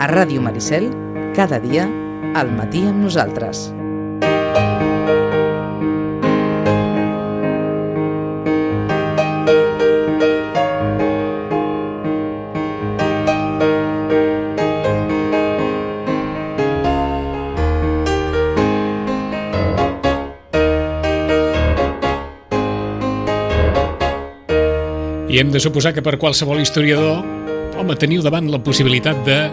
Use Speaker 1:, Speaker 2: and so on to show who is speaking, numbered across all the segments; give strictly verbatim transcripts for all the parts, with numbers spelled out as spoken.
Speaker 1: A Ràdio Maricel, cada dia, al matí amb nosaltres.
Speaker 2: I hem de suposar que per qualsevol historiador, home, teniu davant la possibilitat de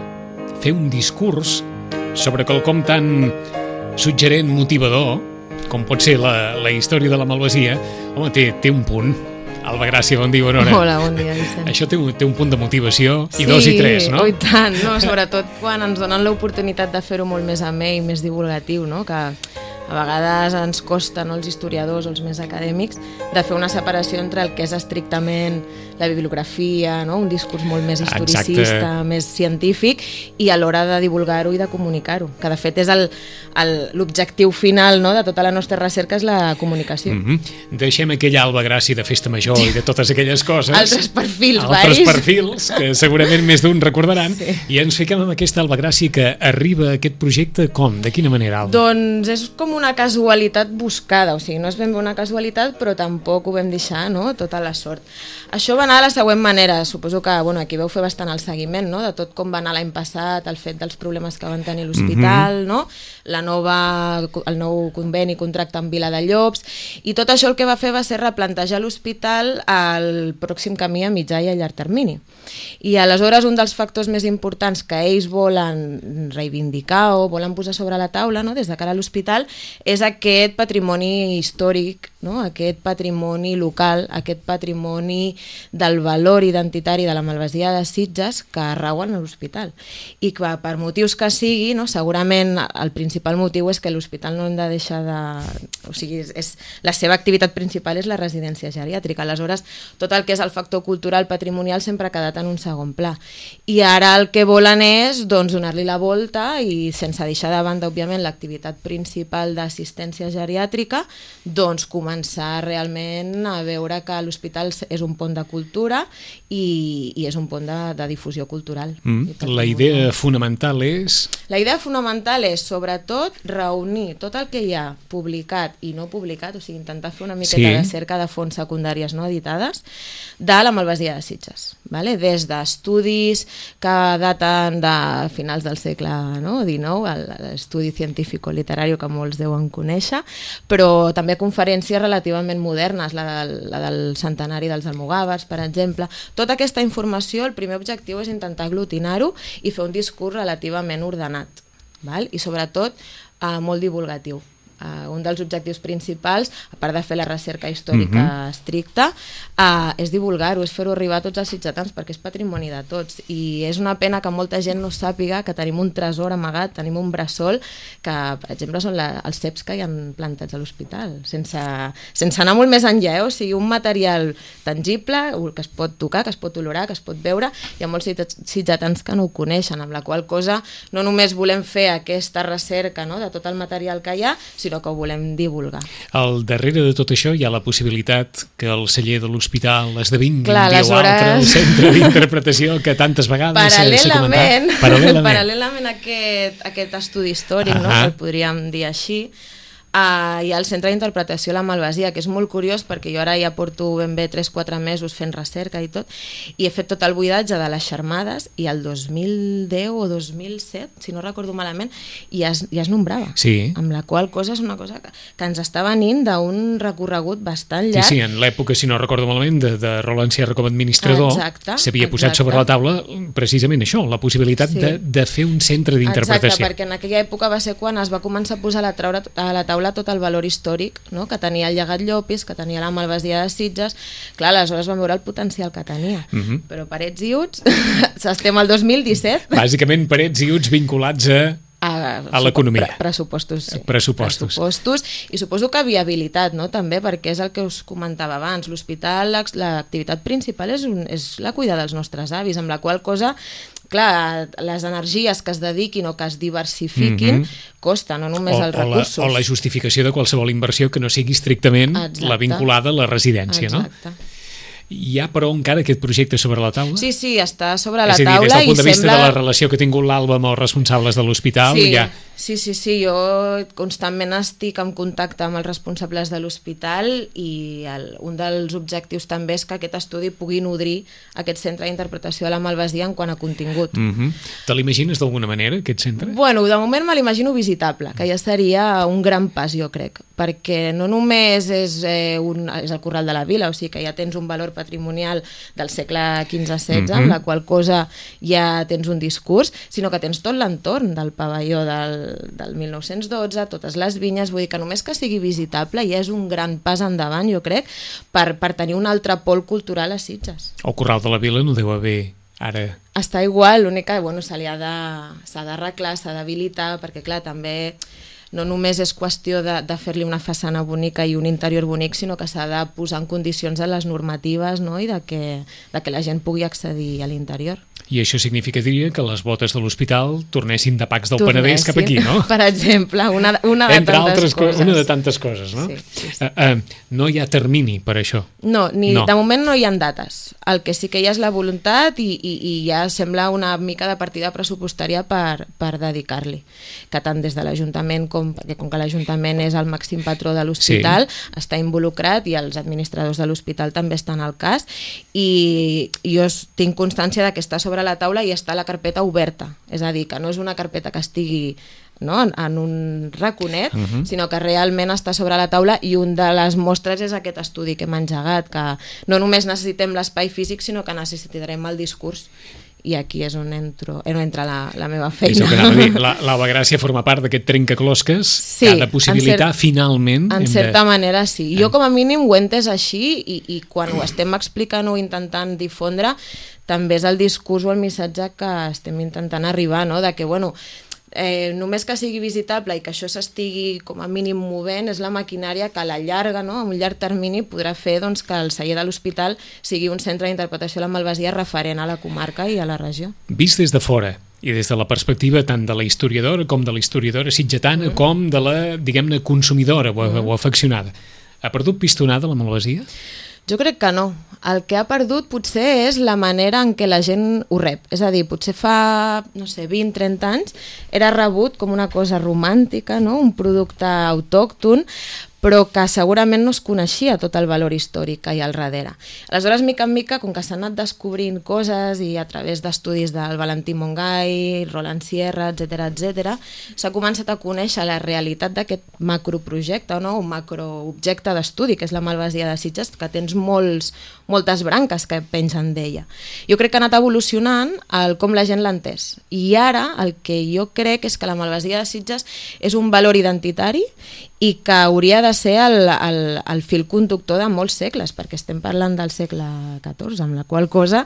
Speaker 2: fer un discurs sobre quelcom tan suggerent, motivador, com pot ser la, la història de la Malvasia. Home, té, té un punt. Alba Gràcia, bon dia, bona hora.
Speaker 3: Hola, bon dia, Vicent.
Speaker 2: Això té, té un punt de motivació,
Speaker 3: sí,
Speaker 2: i dos i tres, no?
Speaker 3: Sí, i tant, no? Sobretot quan ens donen l'oportunitat de fer-ho molt més amè i més divulgatiu, no? Que a vegades ens costa, no, els historiadors o els més acadèmics, de fer una separació entre el que és estrictament la bibliografia, no? Un discurs molt més historicista, exacte, més científic, i a l'hora de divulgar-ho i de comunicar-ho, que de fet és l'objectiu final, no, de tota la nostra recerca, és la comunicació.
Speaker 2: Mm-hmm. Deixem aquella Alba Gràcia de festa major i de totes aquelles coses.
Speaker 3: Altres perfils,
Speaker 2: Altres
Speaker 3: varis.
Speaker 2: perfils, que segurament més d'un recordaran,
Speaker 3: sí.
Speaker 2: I ens fiquem amb aquesta Alba Gràcia que arriba a aquest projecte com? De quina manera, Alba?
Speaker 3: Doncs és com una casualitat buscada, o sigui, no és ben bé una casualitat, però tampoc ho vam deixar, no?, tota la sort. Això va anar de la següent manera, suposo que, bueno, aquí veu fer bastant el seguiment, no?, de tot com va anar l'any passat, el fet dels problemes que van tenir l'hospital, mm-hmm, no?, la nova, el nou conveni, contracte amb Viladellobs, i tot això el que va fer va ser replantejar l'hospital al pròxim camí a mitjà i a llarg termini. I aleshores un dels factors més importants que ells volen reivindicar o volen posar sobre la taula, no?, des de cara a l'hospital, és aquest patrimoni històric, no?, aquest patrimoni local, aquest patrimoni del valor identitari de la Malvasia de Sitges que rauen a l'hospital. I que per motius que sigui, no?, segurament el principal motiu és que l'hospital no hem de deixar de... O sigui, és, és, la seva activitat principal és la residència geriàtrica. Aleshores, tot el que és el factor cultural patrimonial sempre ha quedat en un segon pla. I ara el que volen és, doncs, donar-li la volta i, sense deixar de banda, òbviament, l'activitat principal d'assistència geriàtrica, doncs començar realment a veure que l'hospital és un pont de cultura i, i és un pont de, de difusió cultural.
Speaker 2: Mm. La idea fonamental és...
Speaker 3: La idea fonamental és, sobretot, reunir tot el que hi ha publicat i no publicat, o sigui, intentar fer una miqueta sí. de cerca de fonts secundàries no editades de la Malvasia de Sitges, vale? Des d'estudis que daten de finals del segle no? dinou, l'estudi científico-literari que molts deuen conèixer, però també conferències relativament modernes, la del, la del centenari dels almogàvers, per exemple. Tota aquesta informació, el primer objectiu és intentar aglutinar-ho i fer un discurs relativament ordenat, val? I sobretot eh, molt divulgatiu. Uh, un dels objectius principals, a part de fer la recerca històrica uh-huh. estricta, uh, és divulgar-ho, és fer-ho arribar a tots els sitgetans, perquè és patrimoni de tots. I és una pena que molta gent no sàpiga que tenim un tresor amagat, tenim un bressol, que, per exemple, són la, els ceps que hi han plantats a l'hospital, sense, sense anar molt més enllà, eh? O sigui, un material tangible, que es pot tocar, que es pot olorar, que es pot veure, hi ha molts sitgetans que no ho coneixen, amb la qual cosa no només volem fer aquesta recerca no? de tot el material que hi ha, sinó que ho volem divulgar.
Speaker 2: Al darrere de tot això hi ha la possibilitat que el celler de l'hospital esdevingui
Speaker 3: Clar,
Speaker 2: un dia o altre el centre d'interpretació que tantes vegades s'ha comentat.
Speaker 3: Paral·lelament, paral·lelament a aquest, aquest estudi històric, uh-huh. no? que el podríem dir així, Uh, hi ha el Centre d'Interpretació La Malvasia, que és molt curiós perquè jo ara ja porto ben bé tres quatre mesos fent recerca i tot, i he fet tot el buidatge de les xermades, i el dos mil deu o dos mil set, si no recordo malament, ja es, ja es nombrava,
Speaker 2: sí.
Speaker 3: amb la qual cosa és una cosa que, que ens està venint d'un recorregut bastant llarg.
Speaker 2: Sí, sí, en l'època, si no recordo malament, de, de Roland Sierra com a administrador, s'havia posat sobre la taula precisament això, la possibilitat sí. de, de fer un centre d'interpretació.
Speaker 3: Exacte, perquè en aquella època va ser quan es va començar a posar a la, traure, a la taula tot el valor històric no? que tenia el llegat Llopis, que tenia la Malvasia de Sitges. Clar, aleshores vam veure el potencial que tenia. Uh-huh. Però parets i uts, estem al dos mil disset.
Speaker 2: Bàsicament parets i uts vinculats a... A, a l'economia.
Speaker 3: Pre pressupostos, sí.
Speaker 2: Pressupostos.
Speaker 3: Pressupostos. I suposo que viabilitat, no? També, perquè és el que us comentava abans. L'hospital, l'activitat principal és, un, és la cuidar dels nostres avis, amb la qual cosa, clar, les energies que es dediquin o que es diversifiquin mm-hmm. costa, no només
Speaker 2: o,
Speaker 3: els recursos.
Speaker 2: O la, o la justificació de qualsevol inversió que no sigui estrictament Exacte. La vinculada a la residència,
Speaker 3: Exacte.
Speaker 2: no? Hi ha, però, encara aquest projecte sobre la taula?
Speaker 3: Sí, sí, està sobre la
Speaker 2: taula. És a dir,
Speaker 3: taula
Speaker 2: des del punt de vista
Speaker 3: sembla...
Speaker 2: de la relació que ha tingut l'Alba amb els responsables de l'hospital,
Speaker 3: sí,
Speaker 2: ja...
Speaker 3: Sí, sí, sí, jo constantment estic en contacte amb els responsables de l'hospital i el, un dels objectius també és que aquest estudi pugui nodrir aquest centre d'interpretació de la malvasia en quant a contingut.
Speaker 2: Mm-hmm. Te l'imagines d'alguna manera, aquest centre?
Speaker 3: Bueno, de moment me l'imagino visitable, que ja seria un gran pas, jo crec, perquè no només és, eh, un, és el Corral de la Vila, o sigui que ja tens un valor patrimonial del segle quinze setze, mm-hmm. amb la qual cosa ja tens un discurs, sinó que tens tot l'entorn del pavelló del del mil nou-cents dotze, totes les vinyes, vull dir que només que sigui visitable ja és un gran pas endavant, jo crec, per, per tenir un altre pol cultural a Sitges.
Speaker 2: El Corral de la Vila no deu haver ara...
Speaker 3: Està igual, l'únic que bueno, se li ha de, s'ha d'arreglar, s'ha d'habilitar, perquè clar, també no només és qüestió de, de fer-li una façana bonica i un interior bonic, sinó que s'ha de posar en condicions a les normatives, no? I de que, de que la gent pugui accedir a l'interior.
Speaker 2: I això significaria que les botes de l'hospital tornessin de Pacs del
Speaker 3: tornessin,
Speaker 2: Penedès cap aquí, no?
Speaker 3: Per exemple, una, una de
Speaker 2: Entre
Speaker 3: tantes
Speaker 2: altres
Speaker 3: coses.
Speaker 2: Una de tantes coses, no?
Speaker 3: Sí, sí, sí.
Speaker 2: Uh, uh, no hi ha termini per això?
Speaker 3: No, ni,
Speaker 2: no,
Speaker 3: de moment no hi ha dates. El que sí que hi ha és la voluntat i, i, i ja sembla una mica de partida pressupostària per, per dedicar-li. Que tant des de l'Ajuntament, com, perquè com que l'Ajuntament és el màxim patró de l'hospital, sí. està involucrat i els administradors de l'hospital també estan al cas i jo tinc constància de que està sobre la taula i està la carpeta oberta, és a dir, que no és una carpeta que estigui no, en, en un raconet, uh-huh. sinó que realment està sobre la taula i un de les mostres és aquest estudi que hem engegat, que no només necessitem l'espai físic, sinó que necessitarem el discurs. I aquí és on, entro, on entra la, la meva feina.
Speaker 2: És el que anava a dir. La, l'Alba Gràcia forma part d'aquest trencaclosques sí, que ha de possibilitar cert, finalment...
Speaker 3: En certa de... manera sí. Jo com a mínim ho he entès així i, i quan ho estem explicant o intentant difondre també és el discurs o el missatge que estem intentant arribar, no? De que, bueno, eh, només que sigui visitable i que això s'estigui com a mínim movent és la maquinària que a la llarga, no? A un llarg termini podrà fer doncs, que el celler de l'hospital sigui un centre d'interpretació de la malvasia referent a la comarca i a la regió.
Speaker 2: Vist des de fora i des de la perspectiva tant de la historiadora com de la historiadora sitgetana mm. com de la, diguem-ne, consumidora o, mm. o afeccionada, ha perdut pistonada la malvasia?
Speaker 3: Jo crec que no. El que ha perdut potser és la manera en què la gent ho rep. És a dir, potser fa, no sé, vint trenta anys era rebut com una cosa romàntica, no? Un producte autòcton, però que segurament no es coneixia tot el valor històric que hi ha al darrere. Aleshores, mica en mica, com que s'han anat descobrint coses i a través d'estudis del Valentí Mongai, Roland Sierra, etcètera, etcètera, s'ha començat a conèixer la realitat d'aquest macroprojecte, no? Un macroobjecte d'estudi, que és la malvasia de Sitges, que tens molts, moltes branques que pengen d'ella. Jo crec que ha anat evolucionant el com la gent l'ha entès. I ara el que jo crec és que la malvasia de Sitges és un valor identitari i que hauria de ser el, el, el fil conductor de molts segles, perquè estem parlant del segle catorze, amb la qual cosa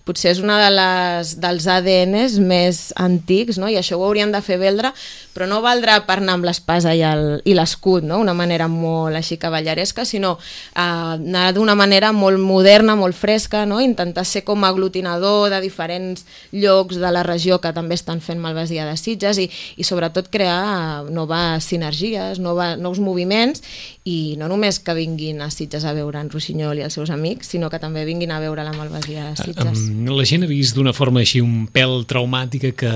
Speaker 3: potser és una de les, dels A D Ns més antics, no? I això ho haurien de fer valdre, però no valdrà per anar amb l'espasa i, el, i l'escut, no? Una manera molt així cavalleresca, sinó eh, anar d'una manera molt moderna, molt fresca, no? Intentar ser com a aglutinador de diferents llocs de la regió que també estan fent malvasia de Sitges i, i sobretot crear noves sinergies, noves nous moviments i no només que vinguin a Sitges a veure en Rossinyol i els seus amics, sinó que també vinguin a veure la malvasia de Sitges.
Speaker 2: La gent ha vist d'una forma així un pèl traumàtica que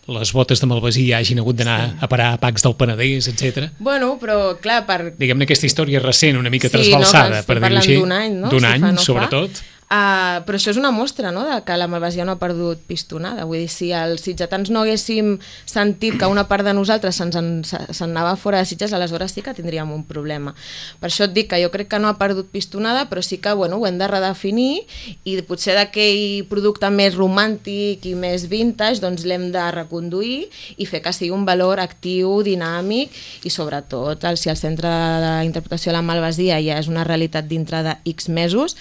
Speaker 2: les botes de malvasia hagin hagut d'anar sí. a parar a Pacs del Penedès, etcètera.
Speaker 3: Bueno, però clar, per...
Speaker 2: Diguem-ne aquesta història recent, una mica
Speaker 3: sí,
Speaker 2: trasbalsada,
Speaker 3: no,
Speaker 2: per dir-ho així.
Speaker 3: D'un any, no?
Speaker 2: D'un
Speaker 3: si
Speaker 2: any,
Speaker 3: fa, no
Speaker 2: sobretot.
Speaker 3: Fa. Uh, però això és una mostra, no?, de que la malvasia no ha perdut pistonada. Vull dir, si els sitgetans no haguéssim sentit que una part de nosaltres se'ns en, se n'anava fora de Sitges, aleshores sí que tindríem un problema. Per això et dic que jo crec que no ha perdut pistonada, però sí que bueno, ho hem de redefinir i potser d'aquell producte més romàntic i més vintage doncs l'hem de reconduir i fer que sigui un valor actiu, dinàmic i sobretot el, si el centre d'interpretació de la malvasia ja és una realitat dintre de X mesos,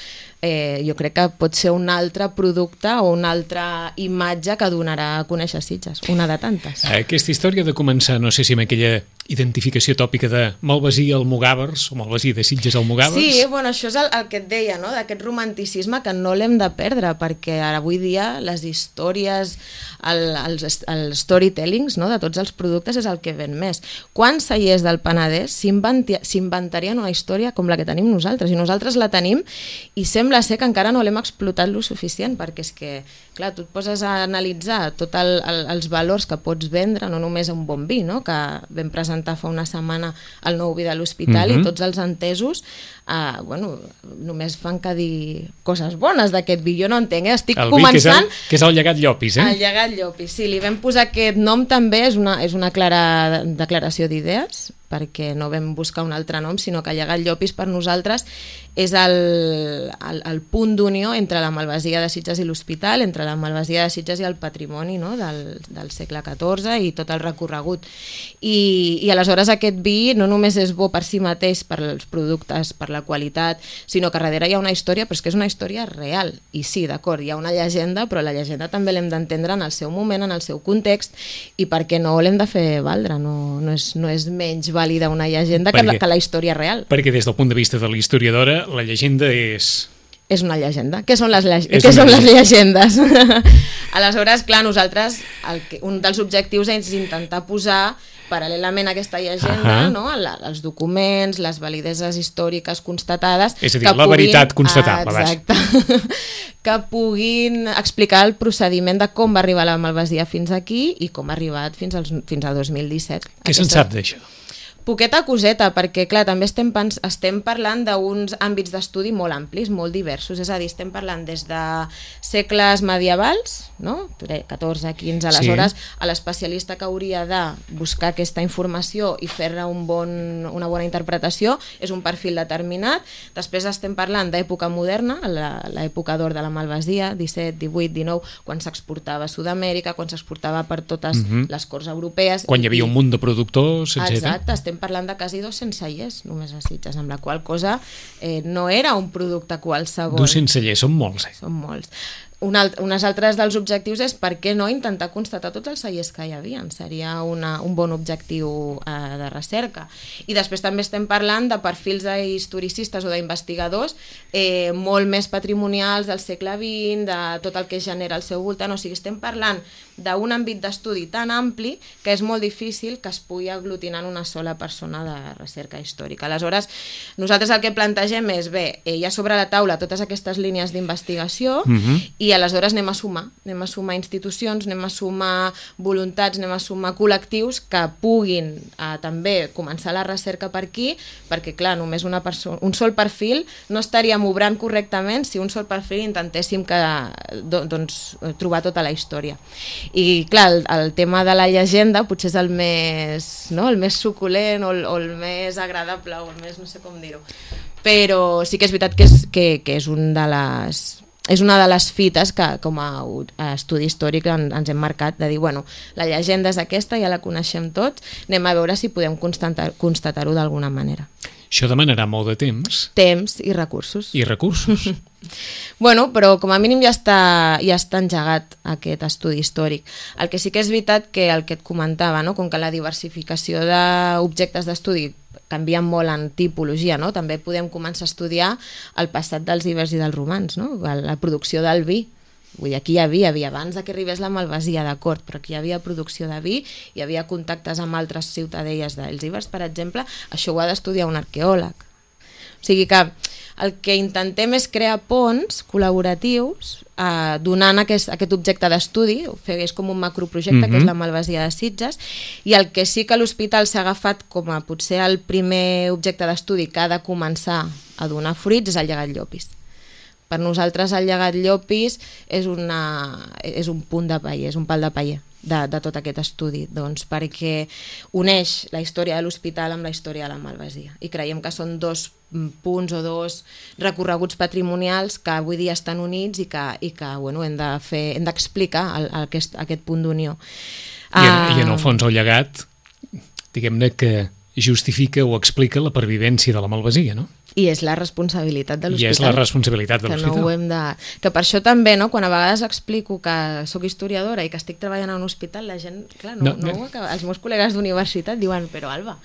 Speaker 3: Eh, jo crec que pot ser un altre producte o una altra imatge que donarà a conèixer Sitges, una de tantes.
Speaker 2: Aquesta història de començar, no sé si amb aquella identificació tòpica de Malvasia Almogàvers o Malvasia de Sitges Almogàvers.
Speaker 3: Sí, bueno, això és el, el que et deia, no? D'aquest romanticisme que no l'hem de perdre, perquè ara avui dia les històries, el, els, els storytellings, no? De tots els productes és el que ven més. Quants cellers del Penedès s'inventarien una història com la que tenim nosaltres? I nosaltres la tenim i sembla ser que encara no l'hem explotat lo suficient, perquè és que, clar, tu et poses a analitzar tots el, el, els valors que pots vendre, no només un bon vi, no? Que vam presentar fa una setmana el nou vi de l'Hospital, mm-hmm. i tots els entesos eh, bueno, només fan que dir coses bones d'aquest vi. Jo no entenc, eh? Estic
Speaker 2: el
Speaker 3: començant...
Speaker 2: Vi, que és el, que és el llegat Llopis, eh?
Speaker 3: El llegat Llopis, sí. Li vam posar aquest nom també, és una, és una clara declaració d'idees, perquè no vam buscar un altre nom, sinó que llegat Llopis per nosaltres és el, el, el punt d'unió entre la Malvasia de Sitges i l'Hospital, entre la Malvasia de Sitges i el patrimoni, no? del, del segle catorze i tot el recorregut. I, i aleshores aquest vi no només és bo per si mateix, per als productes, per la qualitat, sinó que darrere hi ha una història, però és que és una història real. I sí, d'acord, hi ha una llegenda, però la llegenda també l'hem d'entendre en el seu moment, en el seu context, i perquè no l'hem de fer valdre, no, no, és, no és menys vàlida una llegenda perquè, que, la, que la història real.
Speaker 2: Perquè des del punt de vista de la historiadora, la llegenda és...
Speaker 3: És una llegenda. Què són les, lle... Què són les llegendes? Aleshores, clar, nosaltres, el que, un dels objectius és intentar posar paral·lelament a aquesta llegenda, uh-huh. no? Els documents, les valideses històriques constatades...
Speaker 2: És a dir, la puguin... veritat constatable.
Speaker 3: Ah, exacte. Que puguin explicar el procediment de com va arribar la Malvasia fins aquí i com ha arribat fins, als, fins a dos mil disset.
Speaker 2: Què se'n sap d'això?
Speaker 3: Poqueta coseta, perquè clar, també estem, pens estem parlant d'uns àmbits d'estudi molt amplis, molt diversos, és a dir, estem parlant des de segles medievals, no? catorze, quinze, aleshores, sí. A l'especialista que hauria de buscar aquesta informació i fer-ne un bon, una bona interpretació és un perfil determinat. Després estem parlant d'època moderna, l'època d'or de la Malvasia, disset, divuit, dinou, quan s'exportava a Sud-amèrica, quan s'exportava per totes uh-huh. les corts europees.
Speaker 2: Quan hi havia un munt de productors, etcètera.
Speaker 3: Exacte, estem parlant de quasi dos-cents cellers només a Sitges, amb la qual cosa eh, no era un producte qualsevol.
Speaker 2: dos-cents cellers, són molts, eh?
Speaker 3: Són molts. Un alt, unes altres dels objectius és per què no intentar constatar tots els cellers que hi havia. Seria una, un bon objectiu eh, de recerca. I després també estem parlant de perfils d'historicistes o d'investigadors eh, molt més patrimonials del segle vint, de tot el que genera al seu voltant. O sigui, estem parlant d'un àmbit d'estudi tan ampli que és molt difícil que es pugui aglutinar en una sola persona de recerca històrica. Aleshores, nosaltres el que plantegem és, bé, hi ha sobre la taula totes aquestes línies d'investigació uh-huh. i aleshores anem a sumar, anem a sumar institucions, anem a sumar voluntats, anem a sumar col·lectius que puguin eh, també començar la recerca per aquí, perquè clar, només una persona, un sol perfil no estaríem obrant correctament si un sol perfil intentéssim que, do, doncs, trobar tota la història. I clar, el, el tema de la llegenda potser és el més, no? el més suculent o el, o el més agradable o el més, no sé com dir-ho, però sí que és veritat que és, que, que és un de les... És una de les fites que com a estudi històric ens hem marcat, de dir, bueno, la llegenda és aquesta, ja la coneixem tots, anem a veure si podem constatar-ho constatar d'alguna manera.
Speaker 2: Això demanarà molt de temps.
Speaker 3: Temps i recursos.
Speaker 2: I recursos.
Speaker 3: Bueno, però com a mínim ja està, ja està engegat aquest estudi històric. El que sí que és veritat que el que et comentava, no? Com que la diversificació d'objectes d'estudi canvien molt en tipologia, no? També podem començar a estudiar el passat dels ibers i dels romans, no? La producció del vi. Vull dir, aquí hi havia, havia abans que arribés la Malvasia, d'acord, però aquí hi havia producció de vi, hi havia contactes amb altres ciutadelles dels ibers, per exemple, això ho ha d'estudiar un arqueòleg. O sigui que el que intentem és crear ponts col·laboratius eh, donant aquest, aquest objecte d'estudi, és com un macroprojecte, mm-hmm. que és la Malvasia de Sitges, i el que sí que l'hospital s'ha agafat com a potser el primer objecte d'estudi que ha de començar a donar fruits és el llegat Llopis. Per nosaltres el llegat Llopis és, una, és un punt de paller, és un pal de paller de, de tot aquest estudi, doncs, perquè uneix la història de l'hospital amb la història de la Malvasia. I creiem que són dos punts o dos recorreguts patrimonials que avui dia estan units i que, i que bueno, hem de fer, hem d'explicar aquest, aquest punt d'unió.
Speaker 2: I, uh, I en el fons el llegat, diguem-ne que justifica o explica la pervivència de la Malvasia, no?
Speaker 3: I és la responsabilitat de l'hospital.
Speaker 2: I és la responsabilitat de l'hospital.
Speaker 3: Que no ho hem de... Que per això també, no? Quan a vegades explico que sóc historiadora i que estic treballant a un hospital, la gent, clar, no, no, no ho acaba. Els meus col·legues d'universitat diuen, però Alba,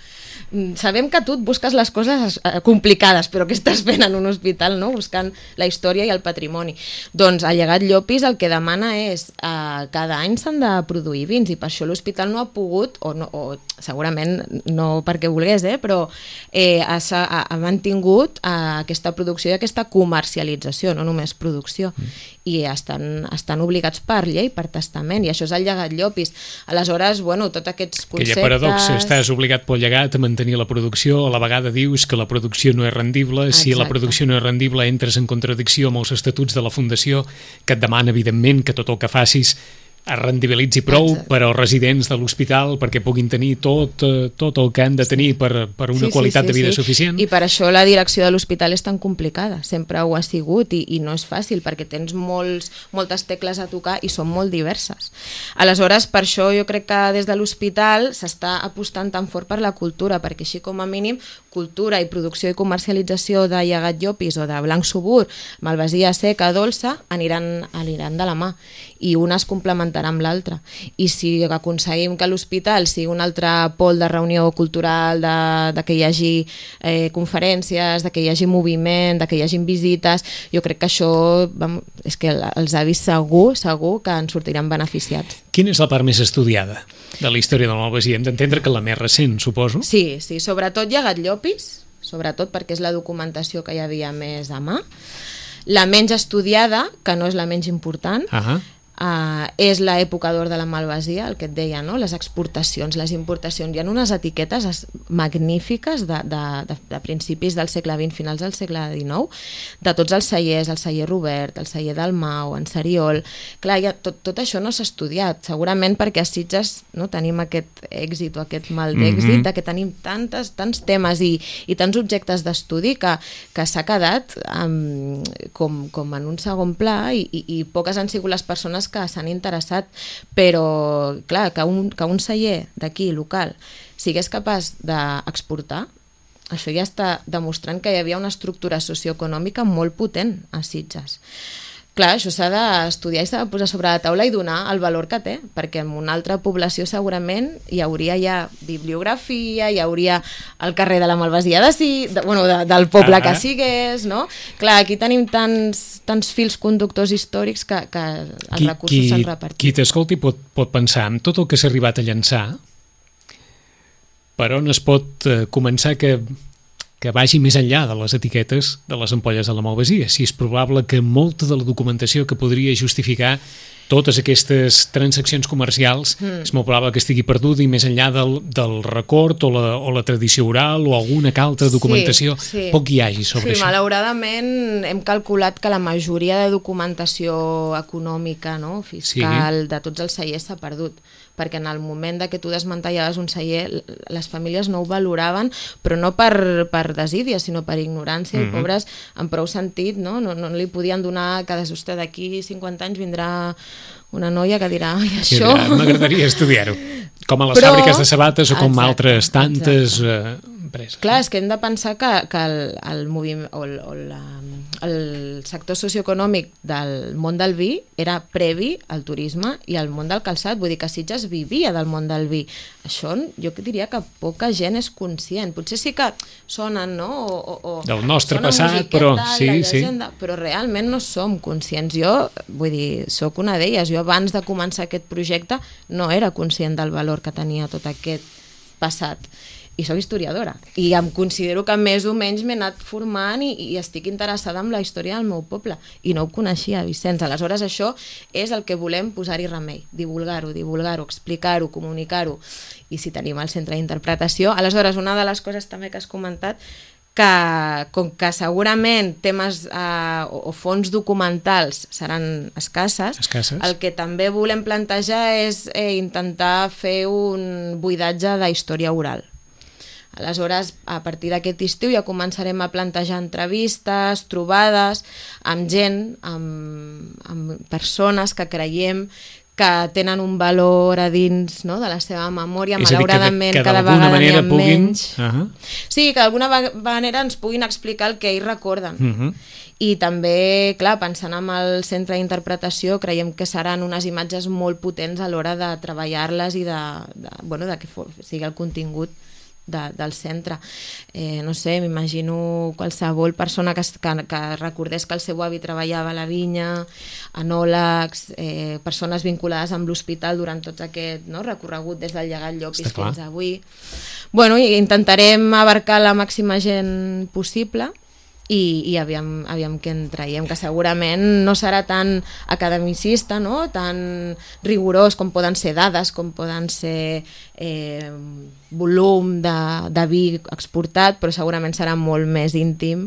Speaker 3: sabem que tu et busques les coses complicades, però què estàs fent en un hospital, no? Buscant la història i el patrimoni. Doncs el llegat Llopis el que demana és eh, cada any s'han de produir vins i per això l'hospital no ha pogut, o, no, o segurament no perquè volgués, eh, però eh, ha, ha, ha mantingut eh, aquesta producció i aquesta comercialització, no només producció. Mm. I estan, estan obligats per llei, per testament, i això és el llegat Llopis. Aleshores, bueno, tots aquests conceptes...
Speaker 2: Aquella paradoxa, estàs obligat pel llegat a mantenir la producció, a la vegada dius que la producció no és rendible. Exacte. Si la producció no és rendible entres en contradicció amb els estatuts de la Fundació, que et demana, evidentment, que tot el que facis es rendibilitzi prou. Exacte. Per als residents de l'hospital perquè puguin tenir tot, tot el que han de tenir per, per una sí, qualitat sí, sí, de vida sí. suficient.
Speaker 3: I per això la direcció de l'hospital és tan complicada, sempre ho ha sigut i, i no és fàcil perquè tens molts, moltes tecles a tocar i són molt diverses. Aleshores, per això jo crec que des de l'hospital s'està apostant tan fort per la cultura, perquè així com a mínim cultura i producció i comercialització de llegat Llopis o de blanc subur, malvasia seca, dolça, aniran, aniran de la mà i una es complementarà amb l'altra. I si aconseguim que l'hospital sigui un altre pol de reunió cultural, de, de que hi hagi eh, conferències, de que hi hagi moviment, de que hi hagi visites, jo crec que això vam, és que els avis segur, segur que en sortiran beneficiats.
Speaker 2: Quina és la part més estudiada de la història de la Malvasia? Hem d'entendre que la més recent, suposo.
Speaker 3: Sí, sí, sobretot llegat Llopis, sobretot perquè és la documentació que hi havia més a mà. La menys estudiada, que no és la menys important, uh-huh. Uh, és l'època d'or de la Malvasia, el que et deia, no? Les exportacions, les importacions. Hi ha unes etiquetes magnífiques de, de, de, de principis del segle vint, finals del segle dinou, de tots els cellers, el celler Robert, el celler Dalmau, en Seriol. Clar, ja, tot, tot això no s'ha estudiat, segurament perquè a Sitges no, tenim aquest èxit o aquest mal d'èxit, mm-hmm. que tenim tantes, tants temes i, i tants objectes d'estudi que, que s'ha quedat um, com, com en un segon pla i, i, i poques han sigut les persones que s'han interessat, però clar, que un, que un celler d'aquí, local, sigués capaç d'exportar, això ja està demostrant que hi havia una estructura socioeconòmica molt potent a Sitges. Clar, això s'ha d'estudiar i s'ha de posar sobre la taula i donar el valor que té, perquè en una altra població segurament hi hauria ja bibliografia, hi hauria el carrer de la Malvasia de si, de, bueno, de, del poble ah, que sigués, no? Clar, aquí tenim tants, tants fils conductors històrics que, que els qui, recursos s'han repartit.
Speaker 2: Qui t'escolti pot, pot pensar en tot el que s'ha arribat a llançar, per on es pot eh, començar que... que vagi més enllà de les etiquetes de les ampolles de la Malvasia. Si és probable que molta de la documentació que podria justificar totes aquestes transaccions comercials mm. és molt probable que estigui perduda i més enllà del, del record o la, o la tradició oral o alguna altra documentació, sí, sí. poc hi hagi sobre
Speaker 3: sí,
Speaker 2: això.
Speaker 3: Malauradament hem calculat que la majoria de documentació econòmica, no, fiscal, sí. de tots els cellers s'ha perdut, perquè en el moment de que tu desmantellaves un celler les famílies no ho valoraven, però no per, per desídia, sinó per ignorància, mm-hmm. i pobres en prou sentit, no? No, no li podien donar que des vostè d'aquí cinquanta anys vindrà una noia que dirà, ai, això...
Speaker 2: M'agradaria estudiar-ho. Com a les però... fàbriques de sabates o com exacte, altres tantes eh, empreses.
Speaker 3: Clar, és que hem de pensar que, que el, el, moviment, o el, o la, el sector socioeconòmic del món del vi era previ al turisme i al món del calçat, vull dir que Sitges vivia del món del vi. Això jo diria que poca gent és conscient. Potser sí que sonen, no? O, o,
Speaker 2: del nostre passat, però sí,
Speaker 3: llegenda,
Speaker 2: sí.
Speaker 3: Però realment no som conscients. Jo, vull dir, sóc una d'elles. Jo abans de començar aquest projecte no era conscient del valor que tenia tot aquest passat. I soc historiadora i em considero que més o menys m'he anat formant i, i estic interessada en la història del meu poble i no ho coneixia, Vicenç. Aleshores això és el que volem posar-hi remei, divulgar-ho, divulgar-ho, explicar-ho, comunicar-ho, i si tenim el centre d'interpretació. Aleshores, una de les coses també que has comentat, que com que segurament temes eh, o, o fons documentals seran escasses,
Speaker 2: escasses,
Speaker 3: el que també volem plantejar és eh, intentar fer un buidatge de història oral. Aleshores, a partir d'aquest estiu ja començarem a plantejar entrevistes, trobades amb gent, amb, amb persones que creiem que tenen un valor a dins, no?, de la seva memòria,
Speaker 2: és
Speaker 3: malauradament
Speaker 2: que de, que
Speaker 3: cada vegada n'hi ha
Speaker 2: puguin...
Speaker 3: menys.
Speaker 2: Uh-huh.
Speaker 3: Sí, que d'alguna manera ens puguin explicar el que ells recorden.
Speaker 2: Uh-huh.
Speaker 3: I també, clar, pensant en el centre d'interpretació, creiem que seran unes imatges molt potents a l'hora de treballar-les i de, de, bueno, de que sigui el contingut de, del centre. Eh, no sé, m'imagino qualsevol persona que, que, que recordés que el seu avi treballava a la vinya, enòlegs, eh, persones vinculades amb l'hospital durant tot aquest, no?, recorregut des del llegat Llopis fins avui. Bueno, i intentarem abarcar la màxima gent possible i, i aviam, aviam què en traiem, que segurament no serà tan academicista, no?, tan rigorós com poden ser dades, com poden ser eh, volum de, de vi exportat, però segurament serà molt més íntim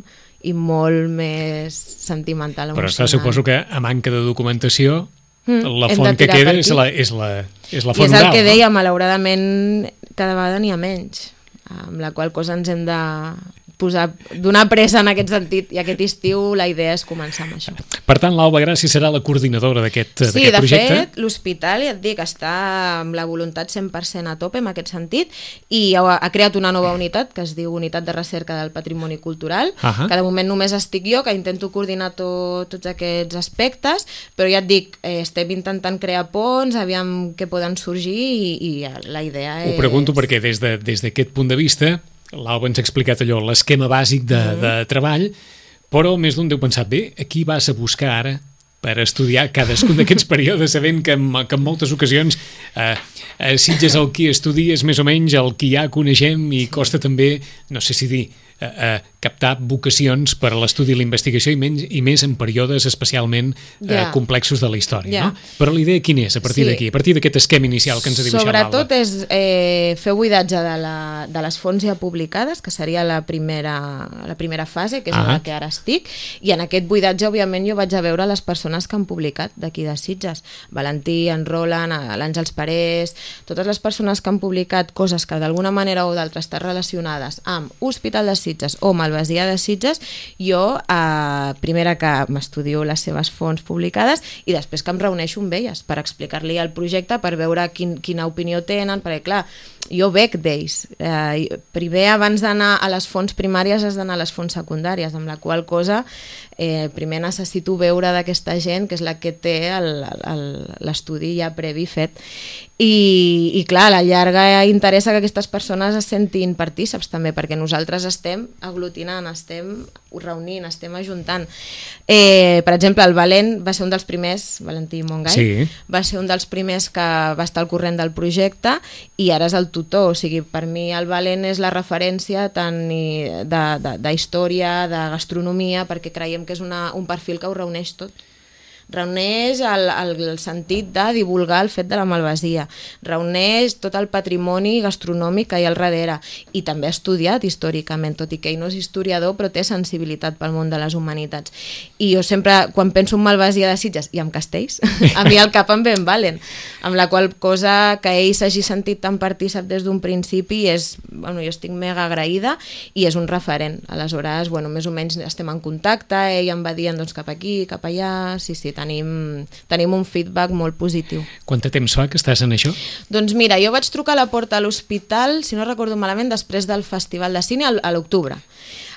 Speaker 3: i molt més sentimental.
Speaker 2: Però està, suposo que a manca de documentació mm, la
Speaker 3: hem
Speaker 2: font
Speaker 3: de
Speaker 2: que
Speaker 3: tirar
Speaker 2: queda
Speaker 3: per
Speaker 2: és
Speaker 3: aquí.
Speaker 2: la, és la, és la font
Speaker 3: I és el
Speaker 2: oral,
Speaker 3: que
Speaker 2: no?
Speaker 3: deia, malauradament cada vegada n'hi ha menys, amb la qual cosa ens hem de posar, donar pressa en aquest sentit, i aquest estiu la idea és començar amb això.
Speaker 2: Per tant, l'Alba Gràcia serà la coordinadora d'aquest
Speaker 3: Sí,
Speaker 2: projecte?
Speaker 3: Sí, de fet, l'hospital, ja et dic, està amb la voluntat cent per cent a tope en aquest sentit, i ha, ha creat una nova unitat que es diu Unitat de Recerca del Patrimoni Cultural, uh-huh. que de moment només estic jo, que intento coordinar tot, tots aquests aspectes, però ja et dic, eh, estem intentant crear ponts, aviam què poden sorgir, i, i la idea és...
Speaker 2: Ho pregunto perquè des de, des d'aquest punt de vista l'Alba ens ha explicat allò, l'esquema bàsic de, mm. de treball, però més d'un deu pensar, bé, aquí vas a buscar ara per estudiar cadascun d'aquests períodes, sabent que en, que en moltes ocasions eh, eh, Sitges el qui estudia és més o menys el que ja coneixem i costa també, no sé si dir, eh, eh, captar vocacions per a l'estudi i la investigació i, menys, i més en períodes especialment eh, yeah. complexos de la història. Yeah. No? Però la idea quina és a partir sí. d'aquí, a partir d'aquest esquema inicial que ens ha dibuixat l'Alba?
Speaker 3: Sobretot és eh, fer buidatge de, la, de les fonts ja publicades, que seria la primera, la primera fase, que és ah. la que ara estic, i en aquest buidatge, òbviament, jo vaig a veure les persones que han publicat d'aquí de Sitges. Valentí, en Roland, l'Àngels Parés, totes les persones que han publicat coses que d'alguna manera o d'altra estan relacionades amb Hospital de Sitges o Malvasia de Sitges, jo eh, primera que m'estudio les seves fonts publicades i després que em reuneixo amb elles per explicar-li el projecte, per veure quin, quina opinió tenen, perquè clar, jo bec d'ells. Eh, primer, abans d'anar a les fonts primàries, has d'anar a les fonts secundàries, amb la qual cosa eh, primer necessito veure d'aquesta gent, que és la que té l'estudi ja previ fet. I, i clar, a la llarga interessa que aquestes persones es sentin partíceps també, perquè nosaltres estem aglutinant, estem reunint, estem ajuntant. Eh, per exemple, el Valent va ser un dels primers, Valentí Montgai, sí. va ser un dels primers que va estar al corrent del projecte i ara és el tutor, o sigui, per mi el Valent és la referència tant de, de, de història, de gastronomia, perquè creiem que és una, un perfil que ho reuneix tot. Reuneix el, el, el sentit de divulgar el fet de la malvasia, reuneix tot el patrimoni gastronòmic que hi ha al darrere i també ha estudiat històricament, tot i que ell no és historiador però té sensibilitat pel món de les humanitats. I jo sempre, quan penso en Malvasia de Sitges i en Castells, a mi al cap em ve en Valen, amb la qual cosa que ell s'hagi sentit tan partícip des d'un principi és, bueno, jo estic mega agraïda i és un referent. Aleshores, bueno, més o menys estem en contacte, ell em va dient doncs, cap aquí, cap allà, sí, sí, Tenim, tenim un feedback molt positiu.
Speaker 2: Quant de temps fa que estàs en això?
Speaker 3: Doncs mira, jo vaig trucar a la porta a l'hospital, si no recordo malament, després del Festival de Cine a l'octubre.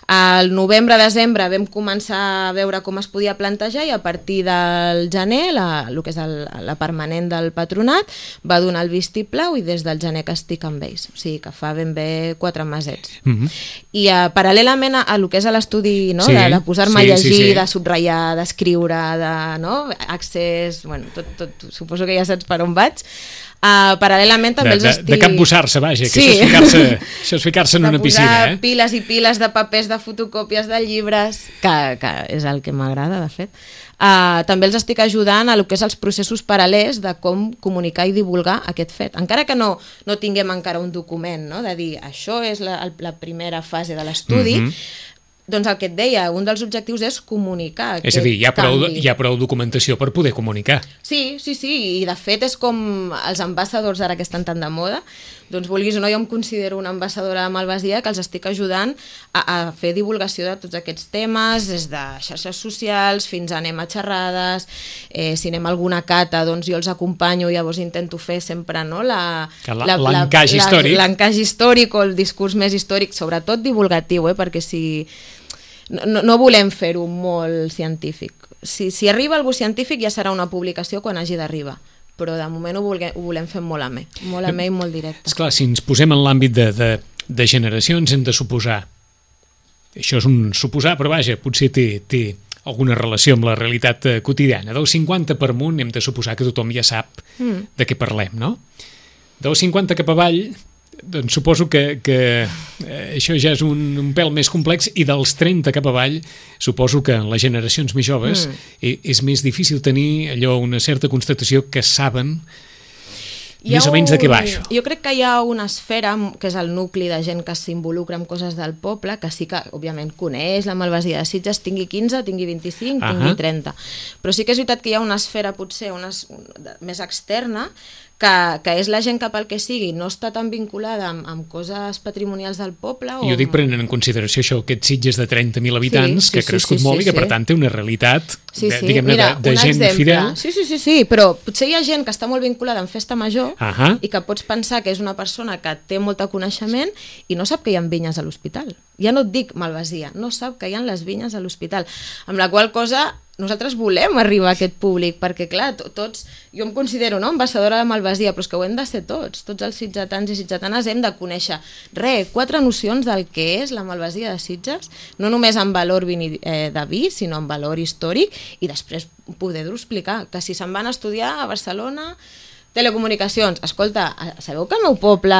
Speaker 3: Al novembre-desembre vam començar a veure com es podia plantejar i a partir del gener, la, el que és el, la permanent del patronat, va donar el vistiplau i des del gener que estic amb ells. O sigui que fa ben bé quatre mesets. Mm-hmm. I uh, paral·lelament a, a el que és l'estudi, no? sí, de, de posar-me sí, a llegir, sí, sí. de subratllar, d'escriure, de, no? accés, bueno, tot, tot, suposo que ja saps per on vaig. Uh, paral·lelament també
Speaker 2: de,
Speaker 3: els
Speaker 2: de,
Speaker 3: estic...
Speaker 2: de capbussar-se, vaja, que
Speaker 3: sí.
Speaker 2: això és ficar-se això és ficar-se en una piscina.
Speaker 3: De posar
Speaker 2: eh?
Speaker 3: piles i piles de papers, de fotocòpies de llibres, que, que és el que m'agrada, de fet. Uh, també els estic ajudant a el que és els processos paral·lels de com comunicar i divulgar aquest fet. Encara que no, no tinguem encara un document, no? de dir això és la, la primera fase de l'estudi, mm-hmm. doncs el que et deia, un dels objectius és comunicar.
Speaker 2: És a dir, hi ha, prou, hi ha prou documentació per poder comunicar.
Speaker 3: Sí, sí, sí, i de fet és com els ambassadors ara que estan tan de moda, doncs vulguis o no, jo em considero una ambaixadora de Malvasia que els estic ajudant a, a fer divulgació de tots aquests temes, des de xarxes socials fins a anem a xerrades, eh, si anem a alguna cata, doncs jo els acompanyo, llavors intento fer sempre no,
Speaker 2: l'encaix històric.
Speaker 3: L'encaix històric o el discurs més històric, sobretot divulgatiu, eh, perquè si no, no volem fer-ho molt científic. Si, si arriba algú científic ja serà una publicació quan hagi d'arribar, però de moment ho, volguem, ho volem fer molt amè, molt amè i molt directe.
Speaker 2: Esclar, si ens posem en l'àmbit de, de, de generacions hem de suposar, això és un suposar, però vaja, potser té, té alguna relació amb la realitat quotidiana. Del cinquanta per amunt hem de suposar que tothom ja sap mm. de què parlem, no? Del cinquanta cap avall, doncs suposo que, que eh, això ja és un, un pèl més complex, i dels trenta cap avall suposo que en les generacions més joves mm. és, és més difícil tenir allò, una certa constatació que saben més o menys de què va això.
Speaker 3: Jo crec que hi ha una esfera, que és el nucli de gent que s'involucra en coses del poble, que sí que, òbviament, coneix la Malvasia de Sitges, tingui quinze, tingui vint-i-cinc, uh-huh. tingui trenta. Però sí que és veritat que hi ha una esfera, potser, una, més externa, que, que és la gent que pel que sigui no està tan vinculada amb, amb coses patrimonials del poble. O
Speaker 2: jo dic prenent en consideració això, aquests Sitges de trenta mil habitants, sí, sí, que ha crescut sí, sí, molt sí, i que per tant té una realitat
Speaker 3: sí, sí.
Speaker 2: de, diguem-ne, Mira, de, de gent exemple. Fidel.
Speaker 3: Sí, sí, sí, sí, però potser hi ha gent que està molt vinculada amb festa major
Speaker 2: uh-huh.
Speaker 3: i que pots pensar que és una persona que té molt de coneixement i no sap que hi ha vinyes a l'hospital. Ja no et dic Malvasia, no sap que hi ha les vinyes a l'hospital. Amb la qual cosa nosaltres volem arribar a aquest públic, perquè clar, tots, jo em considero no, ambaixadora de Malvasia, però és que ho hem de ser tots, tots els sitgetans i sitgetanes hem de conèixer, re, quatre nocions del que és la Malvasia de Sitges, no només en valor vini, eh, de vi, sinó en valor històric, i després poder-ho explicar, que si se'n van a estudiar a Barcelona, telecomunicacions, escolta, sabeu que al meu poble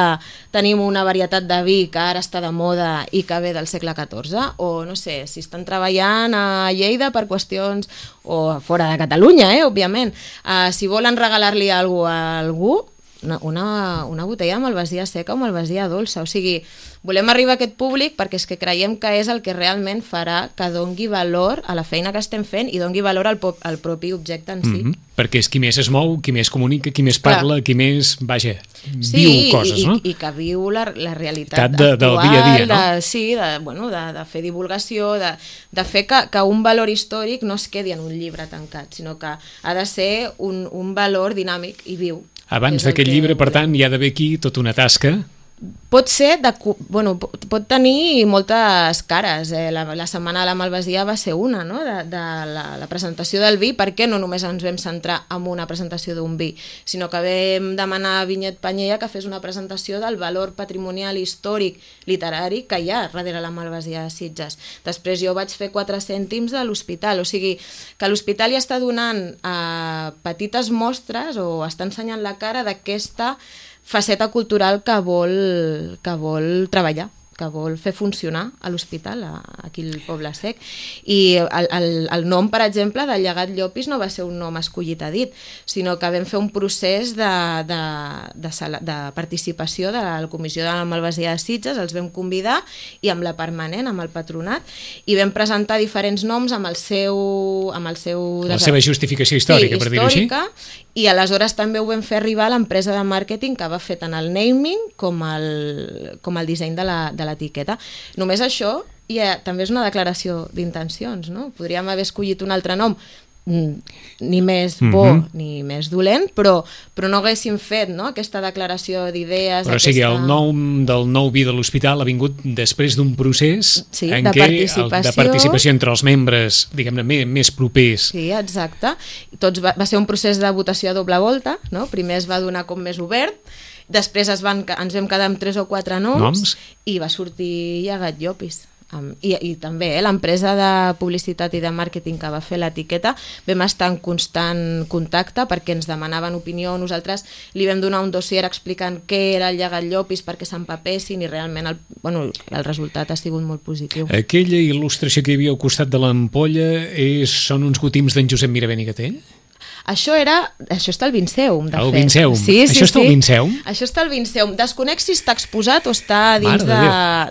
Speaker 3: tenim una varietat de vi que ara està de moda i que ve del segle catorze? O no sé, si estan treballant a Lleida per qüestions, o fora de Catalunya, eh, òbviament, uh, si volen regalar-li alguna cosa a algú, una, una, una botella de Malvasia seca o Malvasia dolça, o sigui, volem arribar a aquest públic perquè és que creiem que és el que realment farà que dongui valor a la feina que estem fent i dongui valor al, al propi objecte en si.
Speaker 2: Mm-hmm. Perquè és qui més es mou, qui més comunica, qui més parla, Clar. Qui més, vaja,
Speaker 3: sí,
Speaker 2: viu coses,
Speaker 3: i,
Speaker 2: no?
Speaker 3: I, i que viu la, la realitat
Speaker 2: de,
Speaker 3: actual,
Speaker 2: del dia a dia, no?
Speaker 3: De, sí, de, bueno, de, de fer divulgació, de, de fer que, que un valor històric no es quedi en un llibre tancat, sinó que ha de ser un, un valor dinàmic i viu.
Speaker 2: Abans d'aquest llibre, per tant, hi ha d'haver aquí tota una tasca.
Speaker 3: Pot ser, de, bueno, pot tenir moltes cares. Eh? La, la setmana de la Malvasia va ser una, no? de, de la, la presentació del vi, perquè no només ens vam centrar en una presentació d'un vi, sinó que vam demanar a Vinyet Panyella que fes una presentació del valor patrimonial, històric, literari que hi ha darrere la Malvasia de Sitges. Després jo vaig fer quatre cèntims de l'hospital, o sigui que l'hospital ja està donant eh, petites mostres o està ensenyant la cara d'aquesta faceta cultural que vol, que vol treballar, que vol fer funcionar a l'hospital, aquí al Poble Sec. I el, el, el nom, per exemple, del Llegat Llopis no va ser un nom escollit a dit, sinó que vam fer un procés de, de, de, de participació de la Comissió de la Malvasia de Sitges, els vam convidar, i amb la permanent, amb el patronat, i vam presentar diferents noms amb el seu... Amb el seu
Speaker 2: la seva justificació històrica,
Speaker 3: sí,
Speaker 2: per dir-ho així.
Speaker 3: I aleshores també ho vam fer arribar a l'empresa de màrqueting que va fer tant el naming com el, com el disseny de la, de l'etiqueta. Només això ja, també és una declaració d'intencions, no? Podríem haver escollit un altre nom, ni més bo mm-hmm. ni més dolent, però, però no haguéssim fet no? aquesta declaració d'idees.
Speaker 2: Però aquesta... o sigui, el nom del nou vi de l'hospital ha vingut després d'un procés
Speaker 3: sí,
Speaker 2: en
Speaker 3: de
Speaker 2: què
Speaker 3: participació.
Speaker 2: El, de participació entre els membres, diguem-ne, més, més propers.
Speaker 3: Sí, exacte. Tots va, va ser un procés de votació a doble volta, no? Primer es va donar com més obert, després es van, ens vam quedar amb tres o quatre noms, noms? I va sortir Llegat Llopis. Um, i, i també eh, l'empresa de publicitat i de màrqueting que va fer l'etiqueta vam estar en constant contacte perquè ens demanaven opinió, nosaltres li vam donar un dossier explicant què era el Llegat Llopis perquè s'empapessin i realment el, bueno, el resultat ha sigut molt positiu.
Speaker 2: Aquella il·lustració que hi havia al costat de l'ampolla és, són uns gotims d'en Josep Miravent i Gatell?
Speaker 3: Això era... Això està al Vinceum, de
Speaker 2: El
Speaker 3: fet.
Speaker 2: Vinceum.
Speaker 3: Sí, sí,
Speaker 2: Això està
Speaker 3: sí.
Speaker 2: al Vinceum?
Speaker 3: Això està al Vinceum. Desconec si està exposat o està dins de,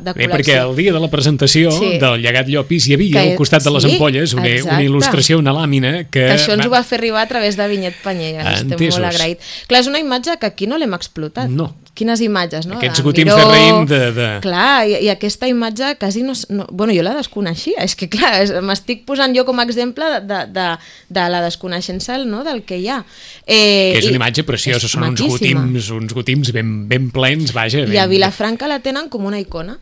Speaker 3: de
Speaker 2: Bé,
Speaker 3: col·lecció.
Speaker 2: perquè el dia de la presentació
Speaker 3: Sí.
Speaker 2: del Llegat Llopis hi havia
Speaker 3: Que-
Speaker 2: al costat de les
Speaker 3: sí,
Speaker 2: ampolles una, una
Speaker 3: exacte.
Speaker 2: il·lustració, una làmina que...
Speaker 3: Que això ens ho va fer arribar a través de Vinyet Panyella. Estem
Speaker 2: Entesos.
Speaker 3: molt agraït. Clar, és una imatge que aquí no l'hem explotat.
Speaker 2: No.
Speaker 3: Quines imatges, no?
Speaker 2: Aquests
Speaker 3: De
Speaker 2: gotims
Speaker 3: Miró.
Speaker 2: de raïm de- de-
Speaker 3: Clar, i, i aquesta imatge quasi no, no... Bueno, jo la desconeixia. És que, clar, és- m'estic posant jo com a exemple de, de, de, de la desconeixença, no?, del que hi ha. Eh,
Speaker 2: que és
Speaker 3: i-
Speaker 2: una imatge preciosa,
Speaker 3: és
Speaker 2: són uns
Speaker 3: maquíssima.
Speaker 2: gotims, uns gotims ben, ben plens, vaja. Ben...
Speaker 3: I a Vilafranca la tenen com una icona.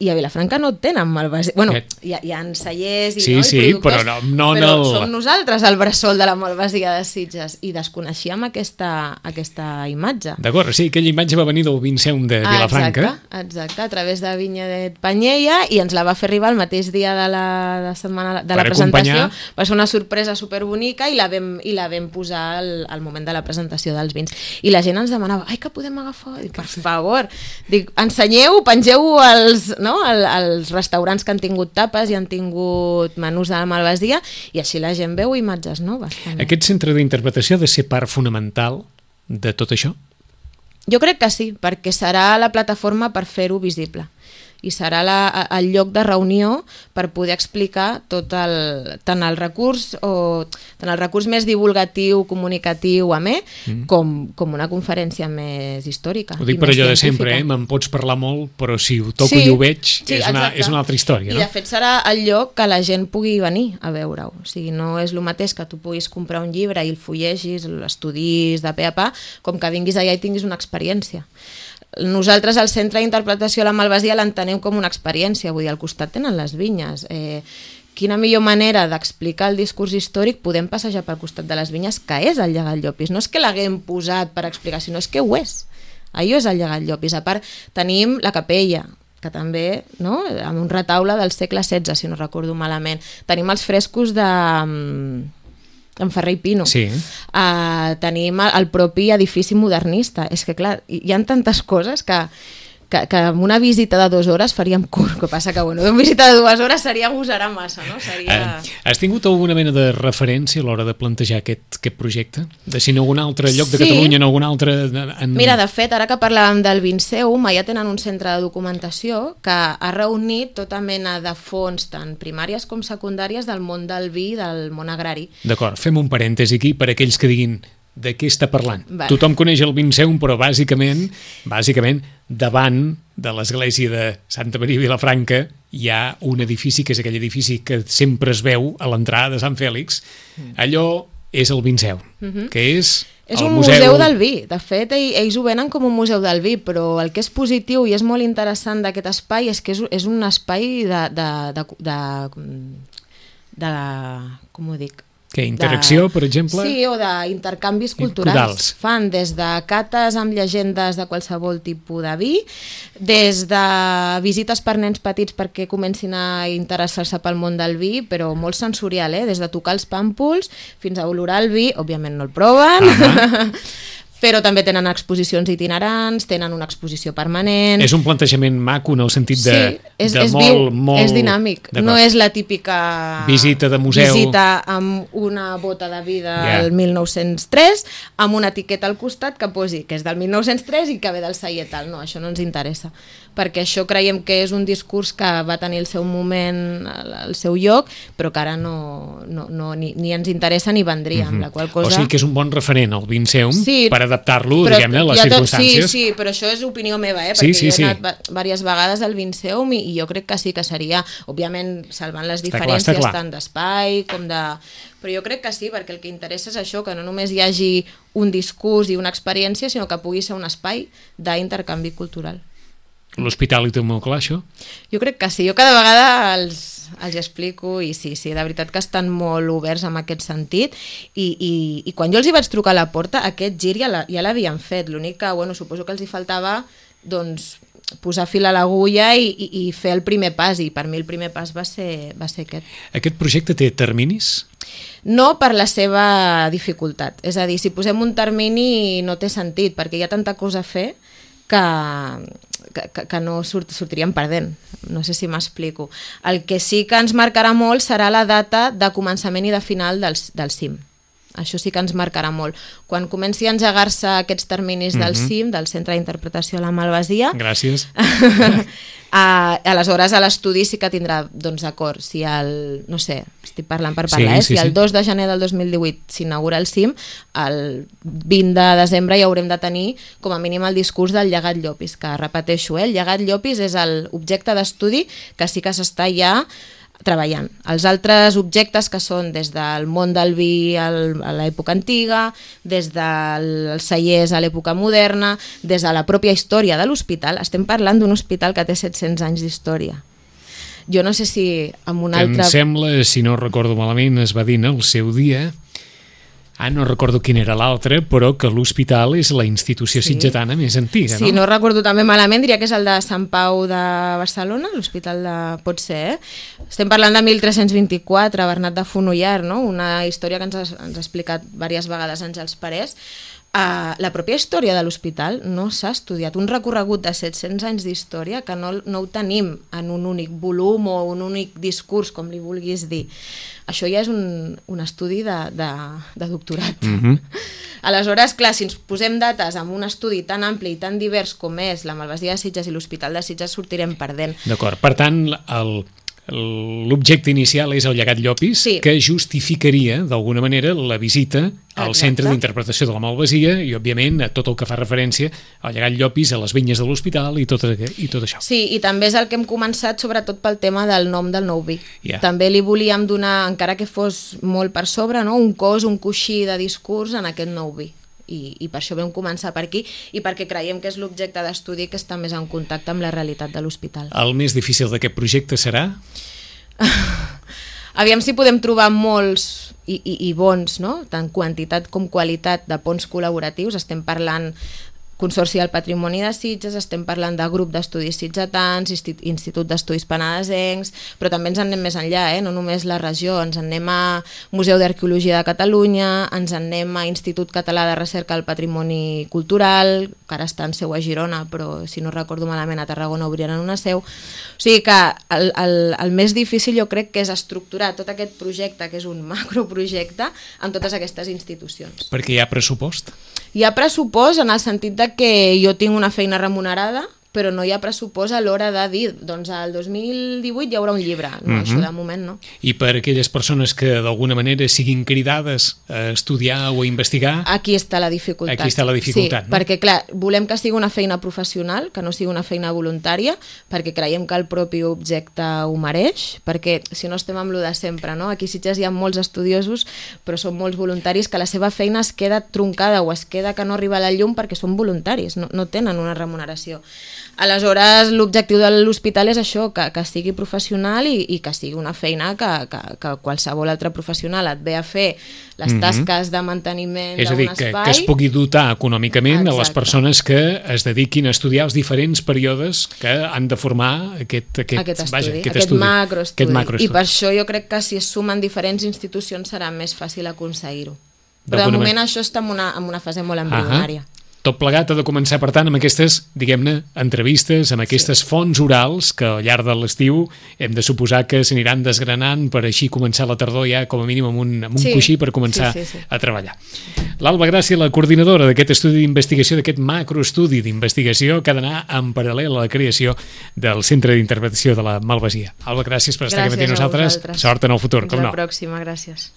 Speaker 3: I a Vilafranca no tenen malvasia. Bueno,
Speaker 2: Aquest-
Speaker 3: hi ha, hi ha cellers i,
Speaker 2: Sí,
Speaker 3: no, i
Speaker 2: sí,
Speaker 3: productors,
Speaker 2: però no- no en
Speaker 3: però
Speaker 2: el-
Speaker 3: som nosaltres el bressol de la malvasia de Sitges i desconeixíem aquesta, aquesta imatge.
Speaker 2: D'acord, sí, aquella imatge va venir del Vinceum de
Speaker 3: Ah,
Speaker 2: Vilafranca.
Speaker 3: exacte, exacte, a través de Vinya de Panyella, i ens la va fer arribar el mateix dia de la, de setmana, de la
Speaker 2: Per
Speaker 3: presentació.
Speaker 2: acompanyar.
Speaker 3: Va ser una sorpresa superbonica i la vam, i la vam posar al, al moment de la presentació dels vins. I la gent ens demanava, ai, que podem agafar? Dic, per favor, dic, ensenyeu, pengeu als, no, al, als restaurants que han tingut tapes i han tingut menús de la malvasia, i així la gent veu imatges noves. També.
Speaker 2: Aquest centre d'interpretació ha de ser part fonamental de tot això?
Speaker 3: Jo crec que sí, perquè serà la plataforma per fer-ho visible i serà la, el lloc de reunió per poder explicar tot el, tant el recurs o tant el recurs més divulgatiu, comunicatiu, amè, mm. com, com una conferència més històrica.
Speaker 2: Ho dic
Speaker 3: i
Speaker 2: per
Speaker 3: més
Speaker 2: allò de
Speaker 3: científica.
Speaker 2: sempre, eh? Me'n pots parlar molt, però si ho toco
Speaker 3: Sí,
Speaker 2: i ho veig,
Speaker 3: sí,
Speaker 2: és, una,
Speaker 3: exacte.
Speaker 2: és una altra història,
Speaker 3: I
Speaker 2: no?
Speaker 3: de fet serà el lloc que la gent pugui venir a veure-ho. O sigui, no és el mateix que tu puguis comprar un llibre i el fullegis, l'estudis de pe a pa, com que vinguis allà i tinguis una experiència. Nosaltres al Centre d'Interpretació de la Malvasia l'entenem com una experiència, vull dir, al costat tenen les vinyes. Eh, quina millor manera d'explicar el discurs històric, podem passejar pel costat de les vinyes, que és el Llegat Llopis. No és que l'haguem posat per explicar, sinó és que ho és. Allò és el Llegat Llopis. A part, tenim la capella, que també, no?, amb un retaule del segle setze, si no recordo malament. Tenim els frescos de... en Ferrer i Pino.
Speaker 2: Sí.
Speaker 3: Uh, tenim el, el propi edifici modernista. És que, clar, hi ha tantes coses que, que, que amb una visita de dues hores faríem curt. El que passa que, bueno, una visita de dues hores seria agosarar massa, no? Seria...
Speaker 2: Eh, has tingut alguna mena de referència a l'hora de plantejar aquest, aquest projecte? De si en algun altre lloc de
Speaker 3: Sí.
Speaker 2: Catalunya, en algun altre... En...
Speaker 3: Mira, de fet, ara que parlàvem del Vinceum, allà tenen un centre de documentació que ha reunit tota mena de fonts, tant primàries com secundàries, del món del vi i del món agrari.
Speaker 2: D'acord, fem un parèntesi aquí per aquells que diguin de què està parlant.
Speaker 3: Va.
Speaker 2: Tothom coneix el Vinceum, però bàsicament, bàsicament davant de l'església de Santa Maria Vilafranca hi ha un edifici, que és aquell edifici que sempre es veu a l'entrada de Sant Fèlix. Allò és el Vinceum, que és...
Speaker 3: És
Speaker 2: el
Speaker 3: un museu... museu del vi. De fet, ell- ells ho venen com un museu del vi, però el que és positiu i és molt interessant d'aquest espai és que és, és un espai de... de, de, de, de com ho dic?
Speaker 2: Què, interacció, per exemple?
Speaker 3: Sí, o d'intercanvis culturals.
Speaker 2: Culturals.
Speaker 3: Fan des de cates amb llegendes de qualsevol tipus de vi, des de visites per nens petits perquè comencin a interessar-se pel món del vi, però molt sensorial, eh? Des de tocar els pàmpols fins a olorar el vi, òbviament no el proven, uh-huh. Però també tenen exposicions itinerants, tenen una exposició permanent...
Speaker 2: És un plantejament maco en el sentit de,
Speaker 3: sí, és,
Speaker 2: de
Speaker 3: és
Speaker 2: molt,
Speaker 3: viu,
Speaker 2: molt...
Speaker 3: és dinàmic, no és la típica
Speaker 2: visita de museu,
Speaker 3: visita amb una bota de vi del
Speaker 2: Yeah.
Speaker 3: mil nou-cents tres, amb una etiqueta al costat que posi que és del mil nou-cents tres i que ve del celler tal. No, això no ens interessa, perquè això creiem que és un discurs que va tenir el seu moment, el seu lloc, però que ara no, no, no, ni, ni ens interessa ni vendria, amb la qual cosa...
Speaker 2: O sigui que és un bon referent al Vinceum
Speaker 3: Sí,
Speaker 2: per adaptar-lo,
Speaker 3: però
Speaker 2: diguem-ne, a les
Speaker 3: hi ha tot-
Speaker 2: circumstàncies.
Speaker 3: Sí, sí, però això és opinió meva, eh?
Speaker 2: Sí,
Speaker 3: Perquè
Speaker 2: sí,
Speaker 3: jo he
Speaker 2: sí.
Speaker 3: anat va- diverses vegades al Vinceum i, i jo crec que sí que seria, òbviament, salvant les
Speaker 2: Està clar,
Speaker 3: diferències
Speaker 2: està clar.
Speaker 3: tant d'espai com de... Però jo crec que sí, perquè el que interessa és això, que no només hi hagi un discurs i una experiència, sinó que pugui ser un espai d'intercanvi cultural.
Speaker 2: L'hospital hi té molt clar, això?
Speaker 3: Jo crec que sí, jo cada vegada els, els explico i sí, sí, de veritat que estan molt oberts en aquest sentit i, i, i quan jo els hi vaig trucar a la porta, aquest gir ja la- ja l'havien fet, l'únic que, bueno, suposo que els hi faltava, doncs, posar fil a l'agulla i, i, i fer el primer pas, i per mi el primer pas va ser, va ser aquest.
Speaker 2: Aquest projecte té terminis?
Speaker 3: No per la seva dificultat, és a dir, si posem un termini no té sentit, perquè hi ha tanta cosa a fer que, que, que, que no surt, sortiríem perdent, no sé si m'explico. El que sí que ens marcarà molt serà la data de començament i de final del, del cim. Això sí que ens marcarà molt. Quan comenci a engegar-se aquests terminis del
Speaker 2: Mhm.
Speaker 3: C I M, del Centre d'Interpretació a la Malvasia,
Speaker 2: Gràcies.
Speaker 3: a, aleshores a l'estudi sí que tindrà, doncs d'acord, si el, no sé, estic parlant per parlar,
Speaker 2: Sí,
Speaker 3: eh?
Speaker 2: sí,
Speaker 3: si el
Speaker 2: sí.
Speaker 3: dos de gener del dos mil divuit s'inaugura el C I M, el vint de desembre ja haurem de tenir com a mínim el discurs del llegat Llopis, que repeteixo, eh? el llegat Llopis és l'objecte d'estudi que sí que s'està ja treballant. Els altres objectes que són des del món del vi al, a l'època antiga, des dels cellers a l'època moderna, des de la pròpia història de l'hospital, estem parlant d'un hospital que té set-cents anys d'història. Jo no sé si amb un
Speaker 2: Que
Speaker 3: altre...
Speaker 2: em sembla, si no recordo malament, es va dir en el seu dia, ah, no recordo quin era l'altre, però que l'hospital és la institució
Speaker 3: Sí.
Speaker 2: sitgetana més antiga,
Speaker 3: Si
Speaker 2: no?
Speaker 3: no recordo també malament, diria que és el de Sant Pau de Barcelona, l'hospital de... pot ser, eh? Estem parlant de mil tres-cents vint-i-quatre, Bernat de Fonollar, no? Una història que ens ha, ens ha explicat diverses vegades Àngels Parés. Uh, la pròpia història de l'hospital no s'ha estudiat. Un recorregut de set-cents anys d'història que no, no ho tenim en un únic volum o un únic discurs, com li vulguis dir. Això ja és un, un estudi de, de, de doctorat.
Speaker 2: Mhm.
Speaker 3: Aleshores, clar, si ens posem dates amb un estudi tan ampli i tan divers com és la Malvasia de Sitges i l'Hospital de Sitges, sortirem perdent.
Speaker 2: D'acord. Per tant, el, l'objecte inicial és el llegat Llopis,
Speaker 3: Sí.
Speaker 2: que justificaria, d'alguna manera, la visita al
Speaker 3: Exacte.
Speaker 2: Centre d'Interpretació de la Malvasia i, òbviament, a tot el que fa referència al llegat Llopis, a les vinyes de l'hospital i tot, i tot això.
Speaker 3: Sí, i també és el que hem començat sobretot pel tema del nom del nou vi.
Speaker 2: Ja.
Speaker 3: També li volíem donar, encara que fos molt per sobre, no? un cos, un coixí de discurs en aquest nou vi. I, i per això vam començar per aquí i perquè creiem que és l'objecte d'estudi que està més en contacte amb la realitat de l'hospital.
Speaker 2: El més difícil d'aquest projecte serà?
Speaker 3: Aviam si podem trobar molts i, i, i bons, no? Tant quantitat com qualitat de ponts col·laboratius. Estem parlant Consorci del Patrimoni de Sitges, estem parlant de grup d'estudis sitgetans, Institut d'Estudis Penedesencs, però també ens en anem més enllà, eh? No només la regió, ens en anem a Museu d'Arqueologia de Catalunya, ens en anem a Institut Català de Recerca del Patrimoni Cultural, que ara està en seu a Girona, però si no recordo malament a Tarragona obriran una seu. O sigui que el, el, el més difícil jo crec que és estructurar tot aquest projecte, que és un macroprojecte, amb totes aquestes institucions.
Speaker 2: Perquè hi ha pressupost.
Speaker 3: Hi ha pressupost en el sentit de que jo tinc una feina remunerada, però no hi ha pressupost a l'hora de dir, doncs al dos mil divuit hi haurà un llibre. No,
Speaker 2: Mhm.
Speaker 3: això de moment no.
Speaker 2: I per aquelles persones que d'alguna manera siguin cridades a estudiar o a investigar,
Speaker 3: Aquí està la dificultat.
Speaker 2: Aquí està la dificultat,
Speaker 3: sí,
Speaker 2: no?
Speaker 3: perquè clar, volem que sigui una feina professional, que no sigui una feina voluntària, perquè creiem que el propi objecte ho mereix, perquè si no estem amb lo de sempre, no? Aquí a Sitges hi ha molts estudiosos, però són molts voluntaris que la seva feina es queda troncada o es queda que no arriba a la llum perquè són voluntaris, no, no tenen una remuneració. Aleshores, l'objectiu de l'hospital és això, que, que sigui professional i, i que sigui una feina que, que, que qualsevol altre professional et ve a fer les
Speaker 2: Mhm.
Speaker 3: tasques de manteniment
Speaker 2: és a
Speaker 3: d'un
Speaker 2: dir, que,
Speaker 3: espai.
Speaker 2: que es pugui dotar econòmicament a les
Speaker 3: Exacte.
Speaker 2: persones que es dediquin a estudiar els diferents períodes que han de formar aquest, aquest,
Speaker 3: aquest estudi,
Speaker 2: vaja,
Speaker 3: aquest,
Speaker 2: aquest, estudi,
Speaker 3: macroestudi.
Speaker 2: aquest macroestudi.
Speaker 3: I per això jo crec que si es sumen diferents institucions serà més fàcil aconseguir-ho. Però de
Speaker 2: D'alguna
Speaker 3: moment
Speaker 2: manera.
Speaker 3: això està en una, en una fase molt embrionària.
Speaker 2: Tot plegat ha de començar, per tant, amb aquestes, diguem-ne, entrevistes, amb aquestes sí. fonts orals que al llarg de l'estiu hem de suposar que s'aniran desgranant per així començar la tardor ja com a mínim amb un, amb un
Speaker 3: Sí.
Speaker 2: coixí per començar
Speaker 3: Sí, sí, sí.
Speaker 2: a treballar. L'Alba Gràcia, la coordinadora d'aquest estudi d'investigació, d'aquest macroestudi d'investigació que ha d'anar en paral·lel a la creació del Centre d'Interpretació de la Malvasia. Alba, gràcies per estar
Speaker 3: Gràcies
Speaker 2: aquí amb
Speaker 3: a
Speaker 2: nosaltres.
Speaker 3: vosaltres.
Speaker 2: Sort en el futur,
Speaker 3: Fins
Speaker 2: com
Speaker 3: a
Speaker 2: no.
Speaker 3: la pròxima, gràcies.